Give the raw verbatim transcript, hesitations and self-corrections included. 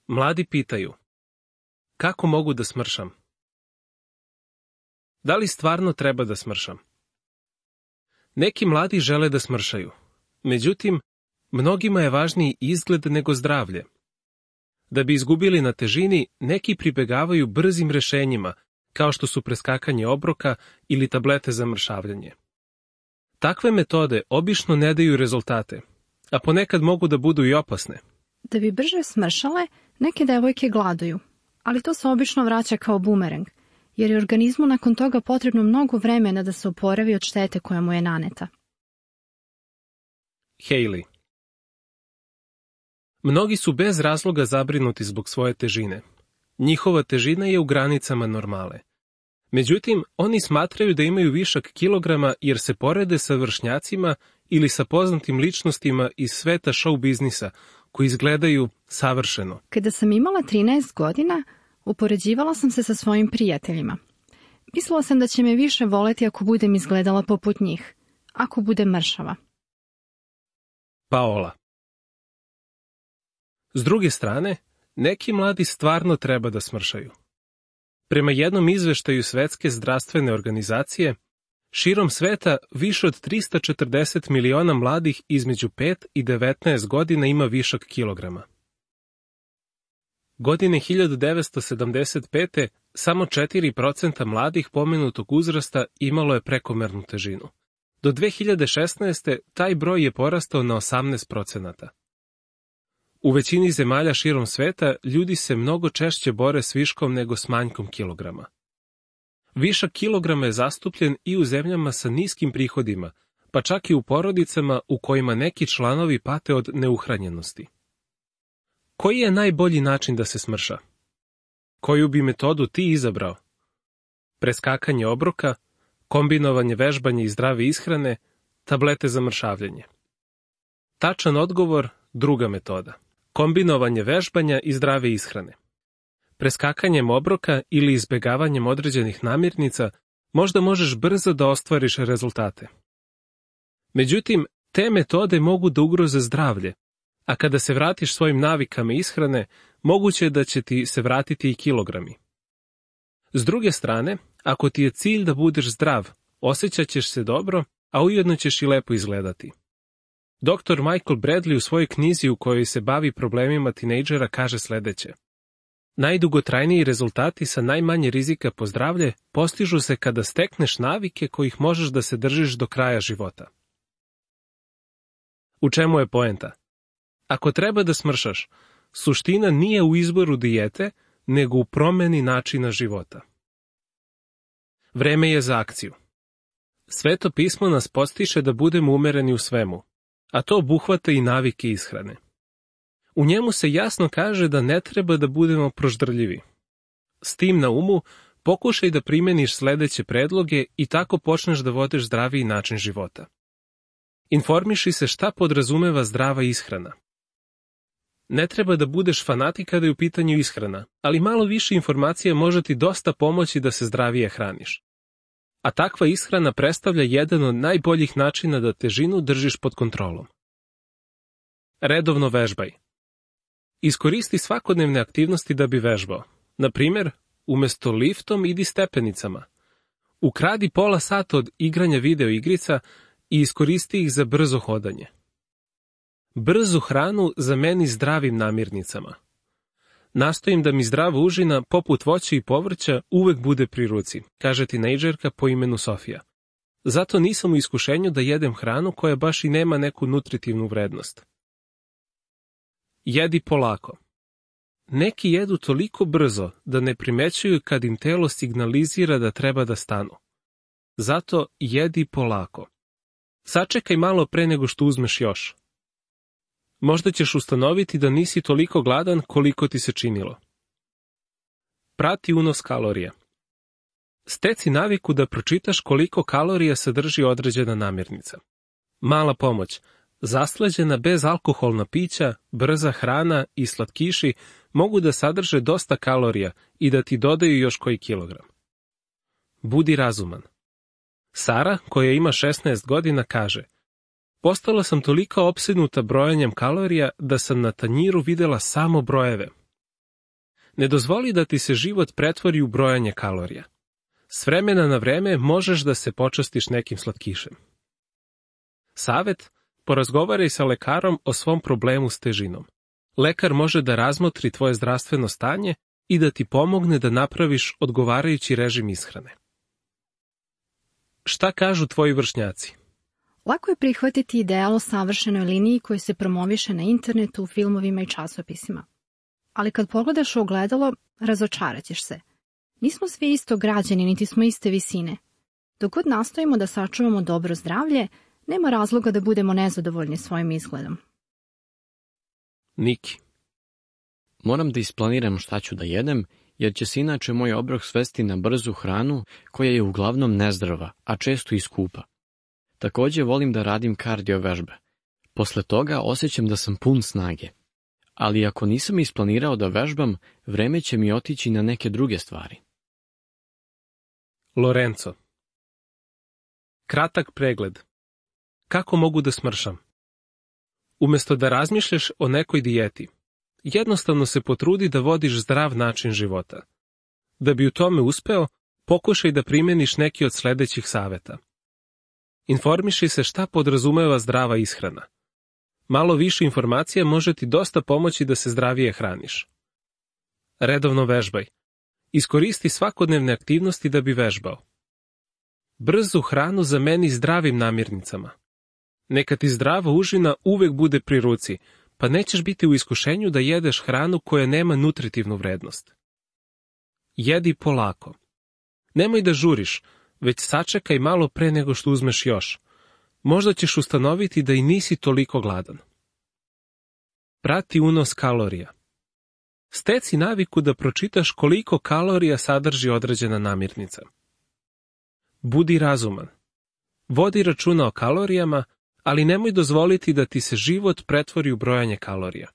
Mladi pitaju: kako mogu da smršam? Da li stvarno treba da smršam? Neki mladi žele da smršaju. Međutim, mnogima je važniji izgled nego zdravlje. Da bi izgubili na težini, neki pribegavaju brzim rešenjima, kao što su preskakanje obroka ili tablete za mršavljanje. Takve metode obično ne daju rezultate, a ponekad mogu da budu i opasne. Da bi brže smršale, neke devojke gladuju, ali to se obično vraća kao bumerang, jer je organizmu nakon toga potrebno mnogo vremena da se oporavi od štete koja mu je naneta. Hailey. Mnogi su bez razloga zabrinuti zbog svoje težine. Njihova težina je u granicama normale. Međutim, oni smatraju da imaju višak kilograma jer se porede sa vršnjacima ili sa poznatim ličnostima iz sveta show biznisa, koji izgledaju savršeno. Kada sam imala trinaest godina, upoređivala sam se sa svojim prijateljima. Mislila sam da će me više voleti ako budem izgledala poput njih, ako budem mršava. Paola. S druge strane, neki mladi stvarno treba da smršaju. Prema jednom izveštaju Svetske zdravstvene organizacije, širom sveta više od trista četrdeset miliona mladih između pet i devetnaest godina ima višak kilograma. Godine hiljadu devetsto sedamdeset pete samo četiri posto mladih pomenutog uzrasta imalo je prekomernu težinu. Do dve hiljade šesnaeste. taj broj je porastao na osamnaest posto. U većini zemalja širom sveta ljudi se mnogo češće bore s viškom nego s manjkom kilograma. Višak kilograma je zastupljen i u zemljama sa niskim prihodima, pa čak i u porodicama u kojima neki članovi pate od neuhranjenosti. Koji je najbolji način da se smrša? Koju bi metodu ti izabrao? Preskakanje obroka, kombinovanje vežbanja i zdrave ishrane, tablete za mršavljanje. Tačan odgovor, druga metoda. Kombinovanje vežbanja i zdrave ishrane. Preskakanjem obroka ili izbegavanjem određenih namirnica možda možeš brzo da ostvariš rezultate. Međutim, te metode mogu da ugroze zdravlje, a kada se vratiš svojim navikama ishrane, moguće je da će ti se vratiti i kilogrami. S druge strane, ako ti je cilj da budeš zdrav, osjećat ćeš se dobro, a ujedno ćeš i lepo izgledati. doktor Michael Bradley u svojoj knjizi u kojoj se bavi problemima tinejdžera kaže sledeće: najdugotrajniji rezultati sa najmanje rizika po zdravlje postižu se kada stekneš navike kojih možeš da se držiš do kraja života. U čemu je poenta? Ako treba da smršaš, suština nije u izboru dijete, nego u promeni načina života. Vreme je za akciju. Sveto pismo nas podstiče da budemo umereni u svemu, a to obuhvata i navike ishrane. U njemu se jasno kaže da ne treba da budemo proždrljivi. S tim na umu, pokušaj da primeniš sledeće predloge i tako počneš da vodiš zdraviji način života. Informiši se šta podrazumeva zdrava ishrana. Ne treba da budeš fanatik kada je u pitanju ishrana, ali malo više informacija može ti dosta pomoći da se zdravije hraniš. A takva ishrana predstavlja jedan od najboljih načina da težinu držiš pod kontrolom. Redovno vežbaj. Iskoristi svakodnevne aktivnosti da bi vežbao. Na primjer, umesto liftom idi stepenicama. Ukradi pola sata od igranja video igrica i iskoristi ih za brzo hodanje. Brzu hranu zameni zdravim namirnicama. Nastojim da mi zdrava užina, poput voća i povrća, uvek bude pri ruci, kaže tinejdžerka po imenu Sofija. Zato nisam u iskušenju da jedem hranu koja baš i nema neku nutritivnu vrednost. Jedi polako. Neki jedu toliko brzo da ne primećuju kad im telo signalizira da treba da stanu. Zato jedi polako. Sačekaj malo pre nego što uzmeš još. Možda ćeš ustanoviti da nisi toliko gladan koliko ti se činilo. Prati unos kalorija. Steci naviku da pročitaš koliko kalorija sadrži određena namirnica. Mala pomoć. Zaslađena bezalkoholna pića, brza hrana i slatkiši mogu da sadrže dosta kalorija i da ti dodaju još koji kilogram. Budi razuman. Sara, koja ima šesnaest godina, kaže: postala sam toliko opsednuta brojanjem kalorija da sam na tanjiru videla samo brojeve. Ne dozvoli da ti se život pretvori u brojanje kalorija. S vremena na vreme možeš da se počastiš nekim slatkišem. Savet: porazgovaraj sa lekarom o svom problemu s težinom. Lekar može da razmotri tvoje zdravstveno stanje i da ti pomogne da napraviš odgovarajući režim ishrane. Šta kažu tvoji vršnjaci? Lako je prihvatiti ideal o savršenoj liniji koji se promoviše na internetu, u filmovima i časopisima. Ali kad pogledaš u ogledalo, razočarat ćeš se. Nismo svi isto građeni, niti smo iste visine. Dok god nastojimo da sačuvamo dobro zdravlje, nema razloga da budemo nezadovoljni svojim izgledom. Niki: Moram da isplaniram šta ću da jedem, jer će se inače moj obrok svesti na brzu hranu koja je uglavnom nezdrava, a često i skupa. Također volim da radim kardio vežbe. Posle toga osjećam da sam pun snage. Ali ako nisam isplanirao da vežbam, vreme će mi otići na neke druge stvari. Lorenzo: kratak pregled. Kako mogu da smršam? Umjesto da razmišljaš o nekoj dijeti, jednostavno se potrudi da vodiš zdrav način života. Da bi u tome uspeo, pokušaj da primjeniš neki od sljedećih saveta. Informiši se šta podrazumeva zdrava ishrana. Malo više informacija može ti dosta pomoći da se zdravije hraniš. Redovno vežbaj. Iskoristi svakodnevne aktivnosti da bi vežbao. Brzu hranu zameni zdravim namirnicama. Neka ti zdrava užina uvek bude pri ruci, pa nećeš biti u iskušenju da jedeš hranu koja nema nutritivnu vrednost. Jedi polako. Nemoj da žuriš, već sačekaj malo pre nego što uzmeš još. Možda ćeš ustanoviti da i nisi toliko gladan. Prati unos kalorija. Steci naviku da pročitaš koliko kalorija sadrži određena namirnica. Budi razuman. Vodi računa o kalorijama, ali nemoj dozvoliti da ti se život pretvori u brojanje kalorija.